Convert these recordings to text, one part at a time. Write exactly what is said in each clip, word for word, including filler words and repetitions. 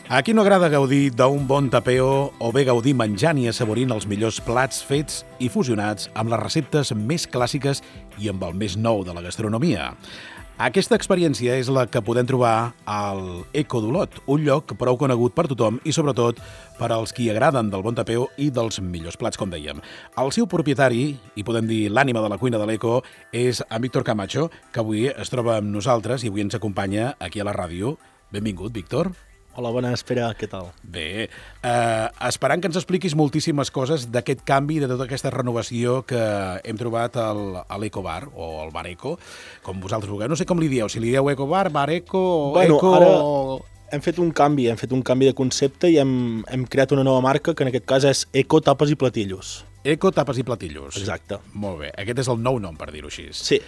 A qui no agrada gaudir d'un bon tapeo o bé gaudir menjant i assaborint els millors plats fets i fusionats amb les receptes més clàssiques i amb el més nou de la gastronomia? Aquesta experiència és la que podem trobar al Eco d'Olot, un lloc prou conegut per tothom i sobretot per als qui agraden del bon tapeo i dels millors plats, com dèiem. El seu propietari, i podem dir l'ànima de la cuina de l'Eco, és en Víctor Camacho, que avui es troba amb nosaltres i avui ens acompanya aquí a la ràdio. Benvingut, Víctor. Hola, bona espera, què tal? Bé, eh, esperant que ens expliquis moltíssimes coses d'aquest canvi, de tota aquesta renovació que hem trobat al, a l'Eco Bar, o al Bar Eco, com vosaltres vulgueu. No sé com li dieu, si li dieu Eco Bar, Bar Eco, o bueno, Eco... Ara hem fet un canvi, hem fet un canvi de concepte i hem, hem creat una nova marca, que en aquest cas és Eco Tapes i Platillos. Eco Tapes i Platillos. Exacte. Molt bé, aquest és el nou nom, per dir-ho així. Sí.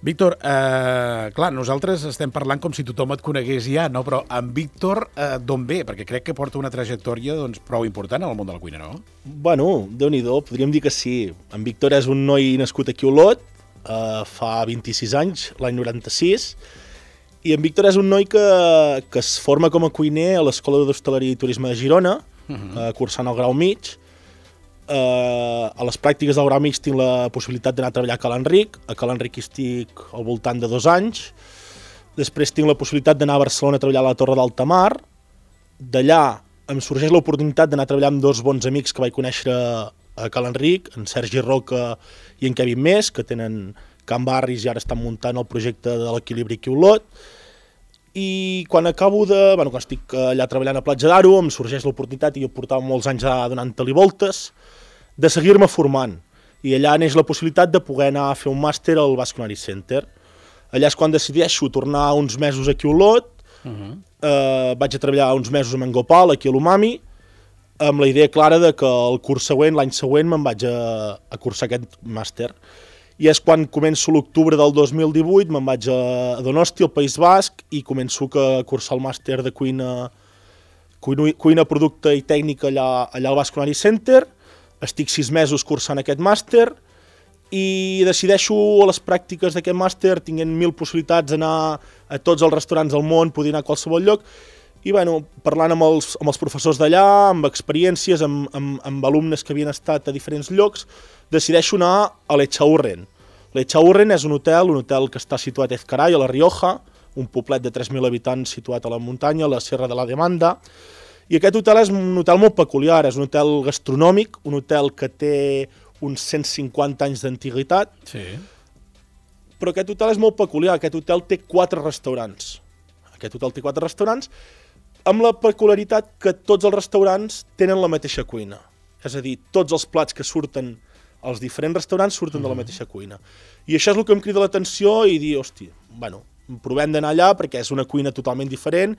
Víctor, eh, clar, nosaltres estem parlant com si tothom et conegués ja, no? Però en Víctor, eh, d'on ve? Perquè crec que porta una trajectòria doncs, prou important en el món de la cuina, no? Bueno, Déu-n'hi-do, podríem dir que sí. En Víctor és un noi nascut aquí a Olot, eh, fa vint-i-sis anys, l'any noranta-sis, i en Víctor és un noi que, que es forma com a cuiner a l'Escola d'Hostaleria i Turisme de Girona, uh -huh. eh, cursant el grau mig. Uh, a les pràctiques del grau mig tinc la possibilitat d'anar a treballar a Ca l'Enric. A Ca l'Enric hi estic al voltant de dos anys. Després tinc la possibilitat d'anar a Barcelona a treballar a la Torre d'Altamar. D'allà em sorgeix l'oportunitat d'anar a treballar amb dos bons amics que vaig conèixer a Ca l'Enric, en Sergi Roca i en Kevin Més, que tenen Can Barris i ara estan muntant el projecte de l'Equilibri aquí a Olot. I quan acabo de... Bueno, quan estic allà treballant a Platja d'Aro, em sorgeix l'oportunitat, i jo portava molts anys donant-li voltes, de seguir-me formant. I allà neix la possibilitat de poder anar a fer un màster al Basque Culinary Center. Allà és quan decideixo tornar uns mesos aquí a Olot, uh -huh. eh, vaig a treballar uns mesos amb en Gopal, aquí a l'Umami, amb la idea clara de que el curs següent, l'any següent, me'n vaig a, a cursar aquest màster. I és quan començo l'octubre del dos mil divuit, me'n vaig a Donosti, al País Basc, i començo a cursar el màster de cuina, cuina, cuina producte i tècnica allà, allà al Basque Culinary Center. Estic sis mesos cursant aquest màster i decideixo a les pràctiques d'aquest màster, tinguent mil possibilitats d'anar a tots els restaurants del món, poder anar a qualsevol lloc, i bueno, parlant amb els, amb els professors d'allà, amb experiències, amb, amb, amb alumnes que havien estat a diferents llocs, decideixo anar a l'Echaurren. L'Echaurren és un hotel, un hotel que està situat a Ezcaray, a la Rioja, un poblet de tres mil habitants situat a la muntanya, a la Serra de la Demanda. I aquest hotel és un hotel molt peculiar, és un hotel gastronòmic, un hotel que té uns cent cinquanta anys d'antiguitat, sí. Però aquest hotel és molt peculiar, aquest hotel té quatre restaurants. Aquest hotel té quatre restaurants, amb la peculiaritat que tots els restaurants tenen la mateixa cuina. És a dir, tots els plats que surten als diferents restaurants surten mm. de la mateixa cuina. I això és el que em crida l'atenció i dir, hòstia, bueno, provem d'anar allà perquè és una cuina totalment diferent,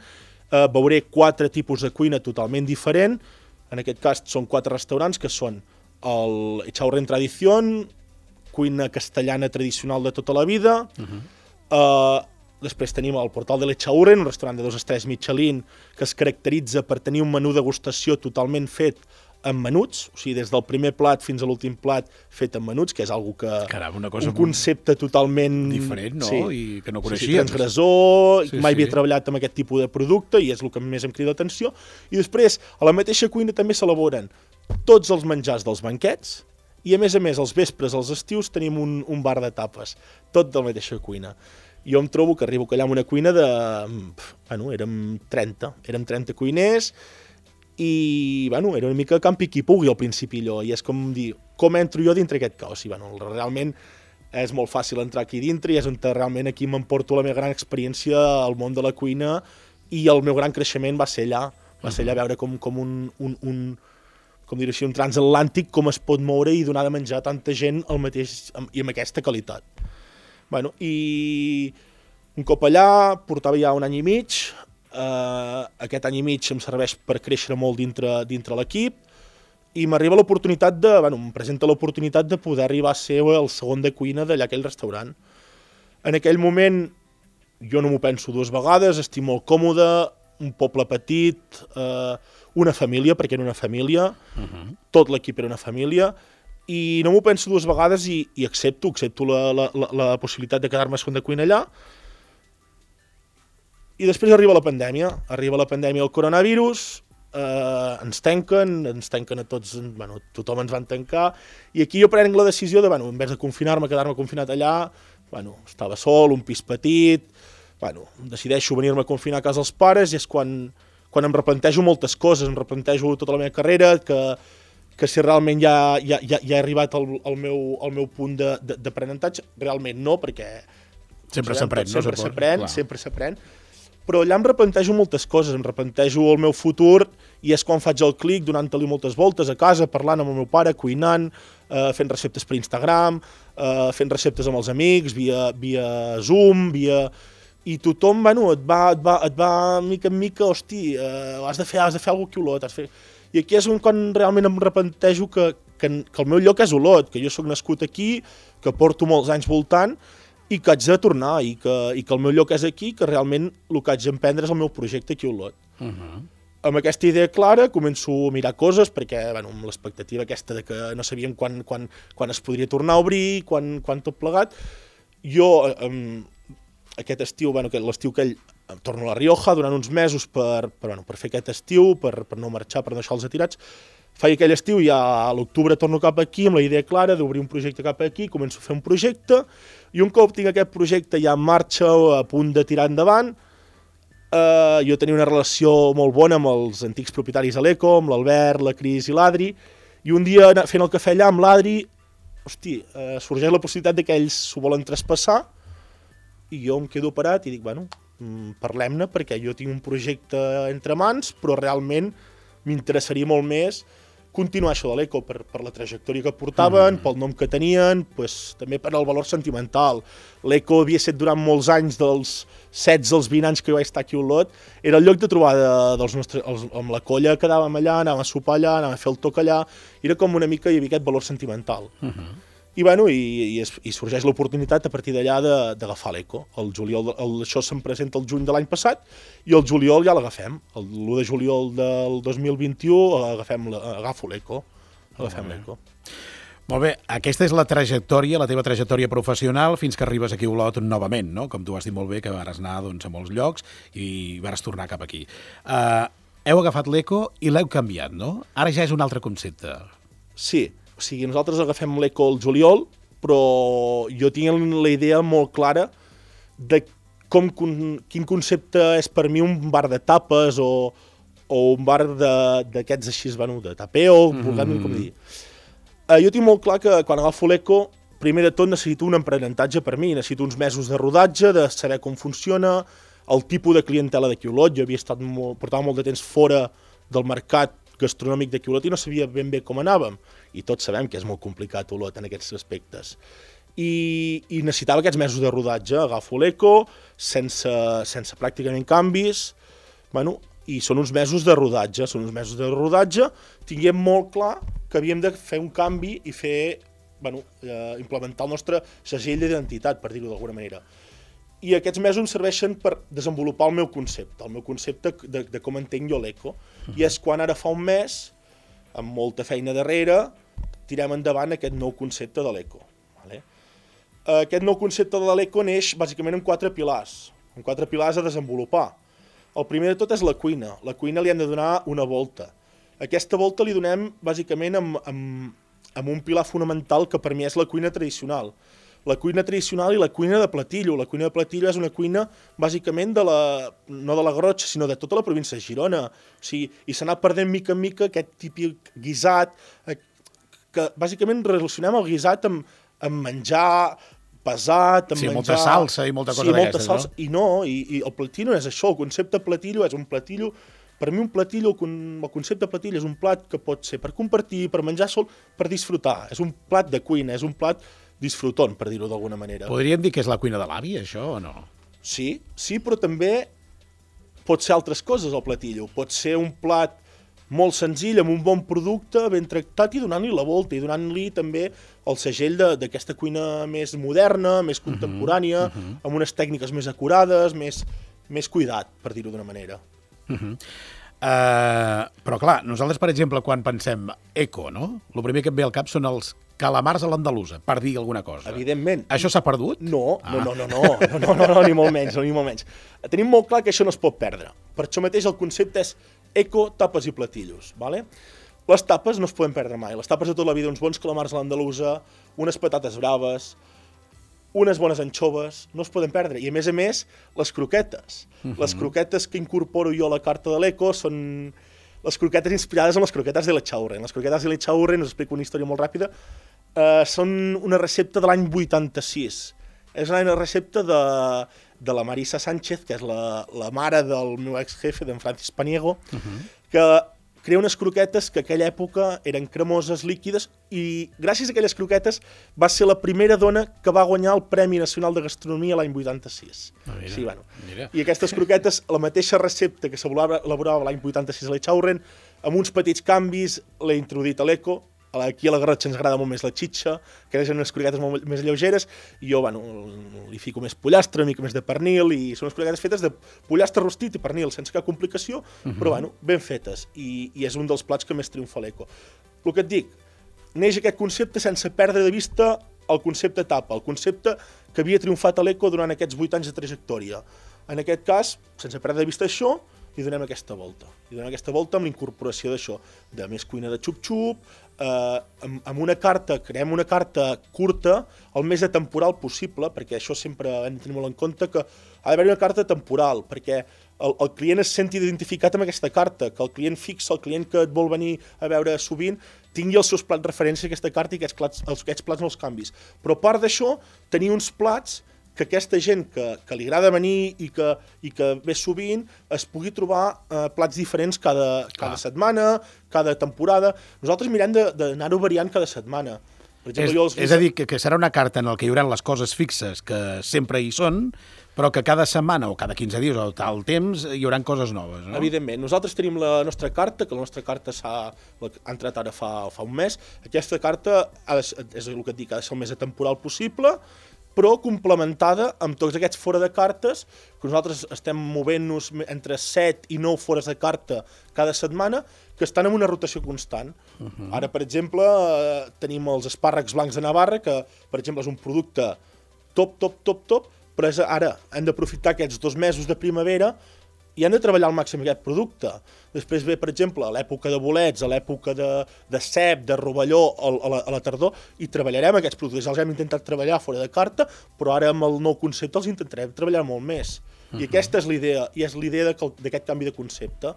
Uh, veuré quatre tipus de cuina totalment diferent. En aquest cas són quatre restaurants que són el Echaurren Tradición, cuina castellana tradicional de tota la vida. Uh-huh. uh, després tenim el Portal de l'Echaurren, un restaurant de dos estrelles Michelin que es caracteritza per tenir un menú degustació totalment fet en menuts, o sigui, des del primer plat fins a l'últim plat fet en menuts, que és algo que... Caram, una cosa un concepte totalment... diferent, no? Sí. I que no coneixia. Sí, sí, transgressor, sí, mai sí. havia treballat amb aquest tipus de producte i és el que més em crida l'atenció. I després, a la mateixa cuina també s'elaboren tots els menjars dels banquets i, a més a més, els vespres, als estius, tenim un, un bar de tapes, tot de la mateixa cuina. Jo em trobo que arribo allà amb una cuina de... Bueno, érem trenta, érem trenta cuiners, i bueno, era una mica campi qui pugui al principi allò, i és com dir, com entro jo dintre aquest caos? I bueno, realment és molt fàcil entrar aquí dintre i és on realment aquí m'emporto la meva gran experiència al món de la cuina, i el meu gran creixement va ser allà, va ser allà veure com, com un, un, un com dir així, un transatlàntic, com es pot moure i donar de menjar a tanta gent al mateix, i amb aquesta qualitat. Bueno, i un cop allà, portava ja un any i mig. Uh, aquest any i mig em serveix per créixer molt dintre, dintre l'equip, i m'arriba l'oportunitat de, bueno, em presenta l'oportunitat de poder arribar a ser el segon de cuina d'allà aquell restaurant. En aquell moment jo no m'ho penso dues vegades, estic molt còmode, un poble petit, uh, una família, perquè era una família, uh-huh. Tot l'equip era una família, i no m'ho penso dues vegades i, i accepto, accepto la, la, la, la possibilitat de quedar-me segon de cuina allà. I després arriba la pandèmia, arriba la pandèmia del coronavirus, eh, ens tanquen, ens tanquen a tots, bueno, tothom ens van tancar, i aquí jo prenc la decisió de, bueno, en vez de confinar-me, quedar-me confinat allà, bueno, estava sol, un pis petit, bueno, decideixo venir-me a confinar a casa dels pares, i és quan, quan em replantejo moltes coses, em replantejo tota la meva carrera, que, que si realment ja, ja, ja, ja he arribat al, al, meu, al meu punt d'aprenentatge, realment no, perquè sempre s'aprèn, no? Sempre s'aprèn, sempre s'aprèn, però allà em replantejo moltes coses, em replantejo el meu futur, i és quan faig el clic, donant-li moltes voltes a casa, parlant amb el meu pare, cuinant, eh, fent receptes per Instagram, eh, fent receptes amb els amics, via, via Zoom, via... I tothom, bueno, et va, et va, et va mica en mica, hosti, eh, has de fer, has de fer alguna cosa aquí a Olot, has de fer... I aquí és quan realment em replantejo que, que, que el meu lloc és Olot, que jo sóc nascut aquí, que porto molts anys voltant, i que haig de tornar, i que, i que el meu lloc és aquí, que realment el que haig d'emprendre és el meu projecte aquí a Olot. Uh -huh. Amb aquesta idea clara començo a mirar coses, perquè bueno, amb l'expectativa aquesta de que no sabíem quan, quan, quan es podria tornar a obrir, quan, quan tot plegat, jo eh, aquest estiu, bueno, l'estiu que ell torno a La Rioja durant uns mesos per, per, bueno, per fer aquest estiu, per, per no marxar, per no deixar els atirats. Faig aquell estiu i ja a l'octubre torno cap aquí amb la idea clara d'obrir un projecte cap aquí, començo a fer un projecte, i un cop tinc aquest projecte ja en marxa, a punt de tirar endavant, eh, jo tenia una relació molt bona amb els antics propietaris de l'Eco, amb l'Albert, la Cris i l'Adri, i un dia fent el cafè allà amb l'Adri, hosti, eh, sorgeix la possibilitat que ells s'ho volen traspassar, i jo em quedo parat i dic, bueno, parlem-ne, perquè jo tinc un projecte entre mans, però realment m'interessaria molt més continuar això de l'Eco per, per la trajectòria que portaven, mm. pel nom que tenien, pues, també per al valor sentimental. L'Eco havia estat durant molts anys, dels setze als vint anys que jo vaig estar aquí a Olot, era el lloc de trobada dels nostres, els, amb la colla quedàvem allà, anàvem a sopar allà, anàvem a fer el toc allà, era com una mica, hi havia aquest valor sentimental. Mm-hmm. I, bueno, i, i, es, i sorgeix l'oportunitat a partir d'allà d'agafar l'Eco. El juliol, el, això se'm presenta el juny de l'any passat i el juliol ja l'agafem. L'u de juliol del dos mil vint-i-u agafem la, agafo l'Eco. Agafem l'Eco. Molt bé, aquesta és la trajectòria, la teva trajectòria professional fins que arribes aquí a Olot novament, no? Com tu has dit molt bé, que vares anar doncs, a molts llocs i vares tornar cap aquí. Uh, heu agafat l'Eco i l'heu canviat, no? Ara ja és un altre concepte. Sí. O sigui, nosaltres agafem l'Eco al juliol, però jo tinc la idea molt clara de com, quin concepte és per mi un bar de tapes o, o un bar d'aquests així, bueno, de tapeo, mm-hmm. com dir. Uh, jo tinc molt clar que quan agafo l'Eco, primer de tot necessito un aprenentatge per mi, necessito uns mesos de rodatge, de saber com funciona, el tipus de clientela d'aquí a Olot. Jo havia estat molt, portava molt de temps fora del mercat gastronòmic d'aquí a Olot i no sabia ben bé com anàvem. I tots sabem que és molt complicat Olot en aquests aspectes. I, i necessitava aquests mesos de rodatge. Agafo l'Eco, sense, sense pràcticament canvis, bueno, i són uns mesos de rodatge. Són uns mesos de rodatge. Tinguem molt clar que havíem de fer un canvi i fer, bueno, eh, implementar el nostre segell d'identitat, per dir-ho d'alguna manera. I aquests mesos em serveixen per desenvolupar el meu concepte, el meu concepte de, de com entenc jo l'Eco. Uh-huh. I és quan ara fa un mes, amb molta feina darrere, tirem endavant aquest nou concepte de l'Eco. Vale? Aquest nou concepte de l'Eco neix bàsicament amb quatre pilars, amb quatre pilars a desenvolupar. El primer de tot és la cuina. La cuina li hem de donar una volta. Aquesta volta li donem bàsicament amb, amb, amb un pilar fonamental que per mi és la cuina tradicional. La cuina tradicional i la cuina de Platillo. La cuina de Platillo és una cuina bàsicament de la, no de la Garrotxa, sinó de tota la província de Girona. O sigui, i s'ha anat perdent mica en mica aquest típic guisat, que bàsicament relacionem el guisat amb, amb menjar pesat, amb sí, menjar... molta salsa i molta cosa sí, d'aquestes, no? I no, i, i el platillo és això, el concepte platillo és un platillo... Per mi un platillo, el concepte platillo és un plat que pot ser per compartir, per menjar sol, per disfrutar. És un plat de cuina, és un plat disfruton, per dir-ho d'alguna manera. Podríem dir que és la cuina de l'avi, això, o no? Sí, sí, però també pot ser altres coses, el platillo. Pot ser un plat molt senzill, amb un bon producte, ben tractat, i donant-li la volta, i donant-li també el segell d'aquesta cuina més moderna, més contemporània, uh-huh, uh-huh. amb unes tècniques més acurades, més, més cuidat, per dir-ho d'una manera. Uh-huh. uh, però clar, nosaltres, per exemple, quan pensem eco, no? El primer que em ve al cap són els calamars a l'andalusa, per dir alguna cosa. Evidentment. Això s'ha perdut? No, ah. no, no, no, no, no, no, no, no, ni molt menys, no, ni molt menys. Tenim molt clar que això no es pot perdre. Per això mateix el concepte és eco, tapes i platillos, ¿vale? Les tapes no es poden perdre mai. Les tapes de tota la vida, uns bons calamars a l'andalusa, unes patates braves, unes bones anxoves, no es poden perdre. I a més a més, les croquetes. Uh-huh. Les croquetes que incorporo jo a la carta de l'eco són les croquetes inspirades en les croquetes de l'Echaurren. Les croquetes de l'Echaurren, us explico una història molt ràpida, eh, són una recepta de l'any vuitanta-sis. És una recepta de, de la Marisa Sánchez, que és la, la mare del meu ex-jefe, d'en Francis Paniego, uh-huh. que crea unes croquetes que a aquella època eren cremoses, líquides, i gràcies a aquelles croquetes va ser la primera dona que va guanyar el Premi Nacional de Gastronomia l'any vuitanta-sis. Ah, mira, sí, bueno. Mira. I aquestes croquetes, la mateixa recepta que s'elaborava l'any vuitanta-sis a l'Echaurren, amb uns petits canvis l'he introduït a l'eco. Aquí a la Garrotxa ens agrada molt més la xitxa, que eren unes croquetes molt més lleugeres, i jo, bueno, li fico més pollastre, una mica més de pernil, i són unes croquetes fetes de pollastre rostit i pernil, sense cap complicació, uh-huh. però, bueno, ben fetes, i, i és un dels plats que més triomfa a l'eco. El que et dic, neix aquest concepte sense perdre de vista el concepte tapa, el concepte que havia triomfat a l'eco durant aquests vuit anys de trajectòria. En aquest cas, sense perdre de vista això, i donem aquesta volta. I donem aquesta volta amb l'incorporació d'això, de més cuina de xup-xup, eh, amb, amb una carta, creem una carta curta, el més atemporal possible, perquè això sempre hem de tenir molt en compte, que ha d'haver una carta temporal, perquè el, el client es senti identificat amb aquesta carta, que el client fixa, el client que et vol venir a veure sovint, tingui els seus plats referència a aquesta carta i aquests plats, els, aquests plats no els canvis. Però a part d'això, tenir uns plats que aquesta gent que, que li agrada venir i que, i que ve sovint es pugui trobar eh, plats diferents cada, cada setmana, cada temporada. Nosaltres mirem d'anar-ho variant cada setmana. Per exemple, és, jo els... és a dir, que, que serà una carta en la que hi haurà les coses fixes que sempre hi són, però que cada setmana o cada quinze dies o tal temps hi haurà coses noves, no? Evidentment. Nosaltres tenim la nostra carta, que la nostra carta s'ha ha entrat ara fa, fa un mes. Aquesta carta ha de, és el que et dic, ha de ser el més atemporal possible, però complementada amb tots aquests fora de cartes, que nosaltres estem movent-nos entre set i nou fores de carta cada setmana, que estan en una rotació constant. Uh-huh. Ara, per exemple, eh, tenim els espàrrecs blancs de Navarra, que, per exemple, és un producte top, top, top, top, però és, ara hem d'aprofitar aquests dos mesos de primavera i hem de treballar al màxim aquest producte. Després ve, per exemple, a l'època de bolets, a l'època de, de cep, de rovelló, a, a, la, a la tardor, i treballarem aquests productes. Els hem intentat treballar fora de carta, però ara amb el nou concepte els intentarem treballar molt més. Uh-huh. I aquesta és l'idea, i és l'idea d'aquest canvi de concepte,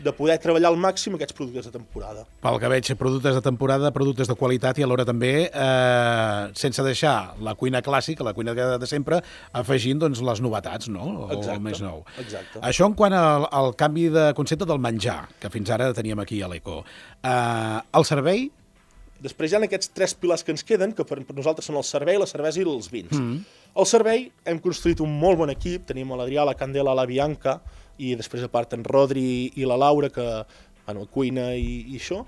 de poder treballar al màxim aquests productes de temporada. Pel que veig, productes de temporada, productes de qualitat i alhora també, eh, sense deixar la cuina clàssica, la cuina de sempre, afegint doncs, les novetats, no? O exacte, el més nou. Exacte. Això en quant al, al canvi de concepte del menjar, que fins ara teníem aquí a l'Eco. Eh, el servei? Després hi ha aquests tres pilars que ens queden, que per nosaltres són el servei, la cervesa i els vins. Mm-hmm. El servei, hem construït un molt bon equip, tenim l'Adrià, la Candela, la Bianca, i després a part en Rodri i la Laura, que bueno, cuina i, i això,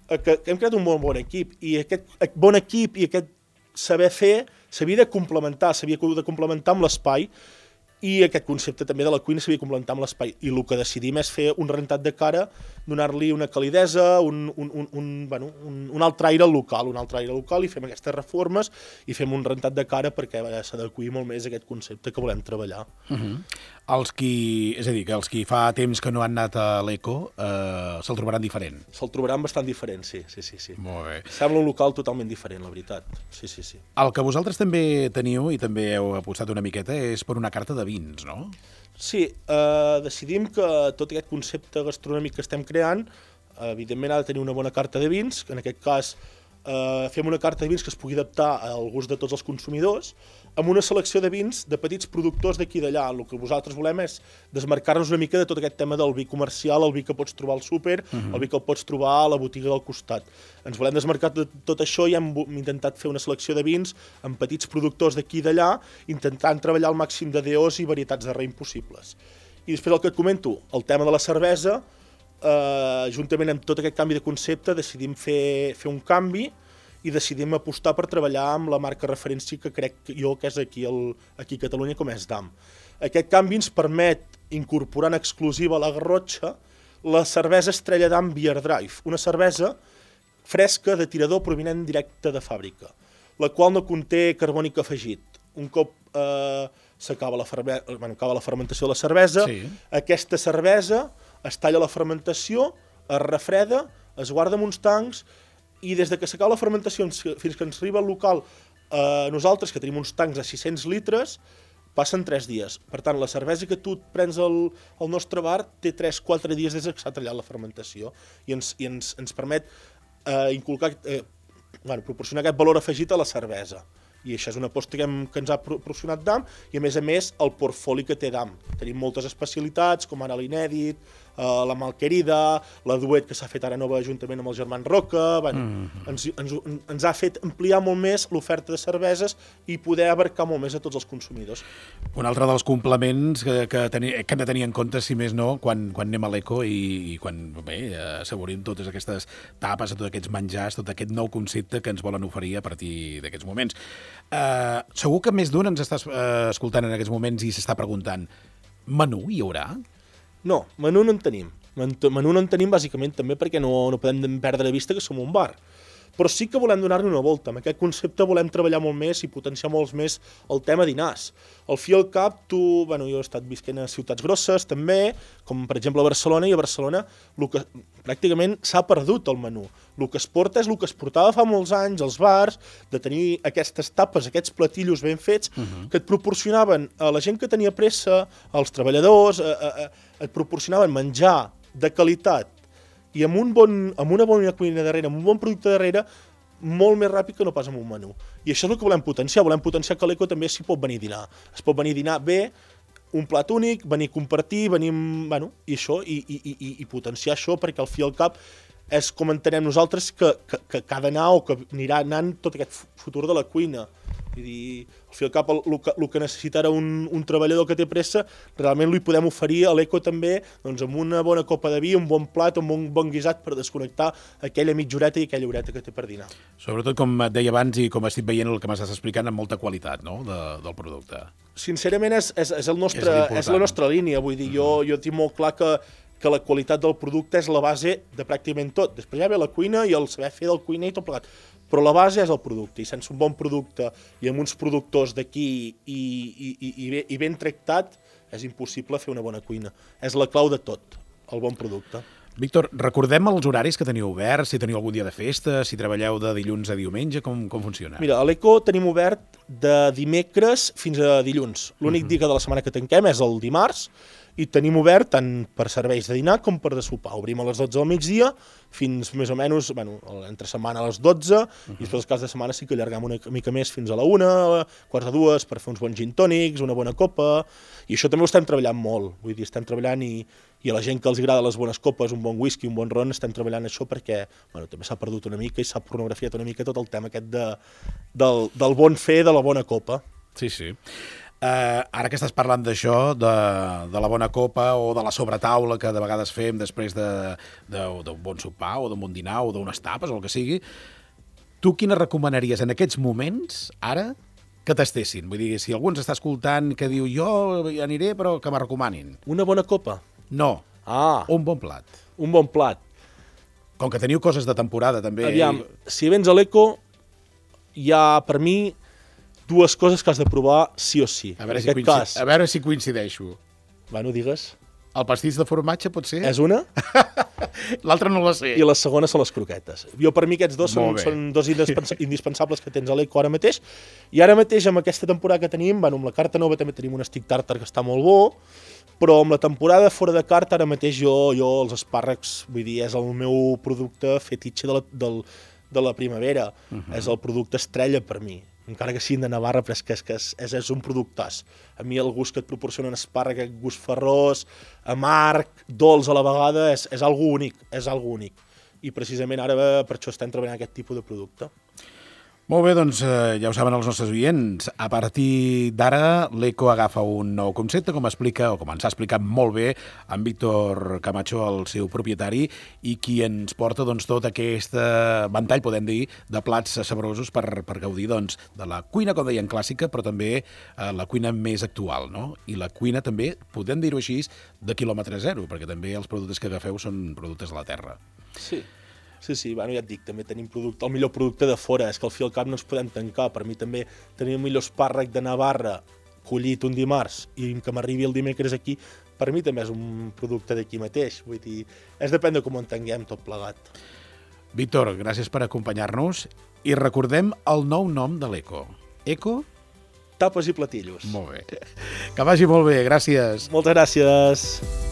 que, que hem creat un molt bon equip, i aquest bon equip i aquest saber fer s'havia de complementar, s'havia de complementar amb l'espai, i aquest concepte també de la cuina s'havia de complementar amb l'espai. I el que decidim és fer un rentat de cara, donar-li una calidesa, un, un, un, un, bueno, un, un altre aire local, un altre aire local, i fem aquestes reformes i fem un rentat de cara perquè s'adeqüi molt més a aquest concepte que volem treballar. Uh-huh. Els qui, és a dir, que els qui fa temps que no han anat a l'Eco eh, se'l trobaran diferent. Se'l trobaran bastant diferent, sí, sí, sí, sí. Molt bé. Sembla un local totalment diferent, la veritat. Sí, sí, sí. El que vosaltres també teniu i també heu apostat una miqueta és per una carta de vins, no? Sí, eh, decidim que tot aquest concepte gastronòmic que estem creant, eh, evidentment ha de tenir una bona carta de vins, que en aquest cas eh, fem una carta de vins que es pugui adaptar al gust de tots els consumidors, amb una selecció de vins de petits productors d'aquí i d'allà. El que vosaltres volem és desmarcar-nos una mica de tot aquest tema del vi comercial, el vi que pots trobar al súper, uh-huh. el vi que el pots trobar a la botiga del costat. Ens volem desmarcar de tot això i hem intentat fer una selecció de vins amb petits productors d'aquí i d'allà, intentant treballar al màxim de D Os i varietats de raïm possibles. I després el que et comento, el tema de la cervesa, eh, juntament amb tot aquest canvi de concepte, decidim fer, fer un canvi i decidim apostar per treballar amb la marca referència que crec jo que és aquí, el, aquí a Catalunya, com és Damm. Aquest canvi ens permet incorporar en exclusiva a la Garrotxa la cervesa Estrella Damm Beer Drive, una cervesa fresca de tirador provinent directe de fàbrica, la qual no conté carbònic afegit. Un cop eh, s'acaba la, ferme... bueno, acaba la fermentació de la cervesa, sí. Aquesta cervesa es talla la fermentació, es refreda, es guarda en uns tancs i des de que s'acaba la fermentació fins que ens arriba al local, eh, nosaltres que tenim uns tancs de sis-cents litres, passen tres dies. Per tant, la cervesa que tu et prens al, al nostre bar té tres quatre dies des que s'ha tallat la fermentació i ens, i ens, ens permet eh, inculcar, eh, bueno, proporcionar aquest valor afegit a la cervesa. I això és una aposta que, hem, que ens ha proporcionat D A M i, a més a més, el portfoli que té D A M. Tenim moltes especialitats, com ara l'inèdit, eh, la malquerida, la duet que s'ha fet ara nova juntament amb el Germán Roca. Bueno, mm. ens, ens, ens ha fet ampliar molt més l'oferta de cerveses i poder abarcar molt més a tots els consumidors. Un altre dels complements que, que, teni, que hem de tenir en compte, si més no, quan, quan anem a l'Eco i, i quan bé, assaborim totes aquestes tapes, tots aquests menjars, tot aquest nou concepte que ens volen oferir a partir d'aquests moments. Uh, segur que més d'un ens està uh, escoltant en aquests moments i s'està preguntant, menú hi haurà? No, menú no en tenim. Menú no en tenim bàsicament també perquè no, no podem perdre de vista que som un bar. Però sí que volem donar-li una volta. Amb aquest concepte volem treballar molt més i potenciar molt més el tema dinars. Al fi i al cap, tu, bueno, jo he estat visquent a ciutats grosses també, com per exemple a Barcelona, i a Barcelona el que, pràcticament s'ha perdut el menú. El que es porta és el que es portava fa molts anys als bars, de tenir aquestes tapes, aquests platillos ben fets, uh-huh. que et proporcionaven a la gent que tenia pressa, als treballadors, a, a, a, et proporcionaven menjar de qualitat, i amb, un bon, amb una bona cuina darrere, amb un bon producte darrere, molt més ràpid que no pas amb un menú. I això és el que volem potenciar. Volem potenciar que l'Eco també s'hi pot venir a dinar. Es pot venir a dinar bé, un plat únic, venir a compartir, venir... Bueno, i això, i, i, i, i potenciar això, perquè al fi i al cap és com entenem nosaltres que, que, que ha d'anar o que anirà anant tot aquest futur de la cuina. Vull dir, al fi i al cap, el, el, que, el que necessita ara un, un treballador que té pressa, realment li podem oferir a l'Eco també, doncs, amb una bona copa de vi, un bon plat, un bon, bon guisat per desconnectar aquella mitja horeta i aquella horeta que té per dinar. Sobretot, com et deia abans i com estic veient el que m'estàs explicant, amb molta qualitat, no?, de, del producte. Sincerament, és, és, és, el nostre, és, és la nostra línia. Vull dir, jo, jo tinc molt clar que, que la qualitat del producte és la base de pràcticament tot. Després ja ve la cuina i el saber fer del cuiner i tot plegat. Però la base és el producte, i sense un bon producte i amb uns productors d'aquí i, i, i, i, bé, i ben tractat, és impossible fer una bona cuina. És la clau de tot, el bon producte. Víctor, recordem els horaris que teniu oberts, si teniu algun dia de festa, si treballeu de dilluns a diumenge, com, com funciona? Mira, a l'Eco tenim obert de dimecres fins a dilluns. L'únic uh-huh. dia de la setmana que tanquem és el dimarts, i tenim obert tant per serveis de dinar com per de sopar. Obrim a les dotze del migdia fins més o menys, bueno, entre setmana a les dotze, uh-huh. i després els caps de setmana sí que allargam una mica més fins a la una, quarts de dues, per fer uns bons gin tònics, una bona copa, i això també ho estem treballant molt. Vull dir, estem treballant i, i a la gent que els agrada les bones copes, un bon whisky, un bon ron, estem treballant això perquè, bueno, també s'ha perdut una mica i s'ha pornografiat una mica tot el tema aquest de, del, del bon fer, de la bona copa. Sí, sí. Uh, ara que estàs parlant d'això, de, de la bona copa o de la sobretaula que de vegades fem després d'un de, de, bon sopar o d'un bon dinar o d'unes tapes o el que sigui, tu quina recomanaries en aquests moments, ara, que tastessin? Vull dir, si algú ens està escoltant que diu jo hi aniré però que me recomanin. Una bona copa? No, ah, un bon plat. Un bon plat. Com que teniu coses de temporada també. Aviam, si vens a l'Eco, hi ha per mi dues coses que has de provar sí o sí. A veure, si, coincid... cas... a veure si coincideixo. Bueno, digues. El pastís de formatge pot ser? És una. L'altra no la sé. I la segona són les croquetes. Jo, per mi, aquests dos són, són dos indispensables que tens a l'Eco ara mateix. I ara mateix, amb aquesta temporada que tenim, bueno, amb la carta nova també tenim un stick tartar que està molt bo, però amb la temporada fora de carta, ara mateix jo, jo els espàrrecs, vull dir, és el meu producte fetitxe de la, del, de la primavera. Uh-huh. És el producte estrella per mi. Encara que siguin de Navarra, però és que és, que és, és, és un productàs. A mi el gust que et proporciona un espàrrec, aquest gust ferrós, amarg, dolç a la vegada, és, és algo únic, és algo únic. I precisament ara per això estem treballant aquest tipus de producte. Molt bé, doncs eh, ja ho saben els nostres oients. A partir d'ara, l'Eco agafa un nou concepte, com explica, o com ens ha explicat molt bé en Víctor Camacho, el seu propietari, i qui ens porta doncs, tot aquest ventall, podem dir, de plats saborosos per, per gaudir doncs, de la cuina, com deien, clàssica, però també eh, la cuina més actual, no? I la cuina també, podem dir-ho així, de quilòmetre zero, perquè també els productes que agafeu són productes de la terra. Sí. Sí, sí, bueno, ja et dic, també tenim producte, el millor producte de fora, és que al fi al cap no ens podem tancar. Per mi també tenir el millor espàrrec de Navarra collit un dimarts i que m'arribi el dimecres aquí, per mi també és un producte d'aquí mateix. Vull dir, és depèn de com ho entenguem tot plegat. Víctor, gràcies per acompanyar-nos i recordem el nou nom de l'Eco. Eco? Tapes i platillos. Molt bé. Que vagi molt bé, gràcies. Moltes gràcies.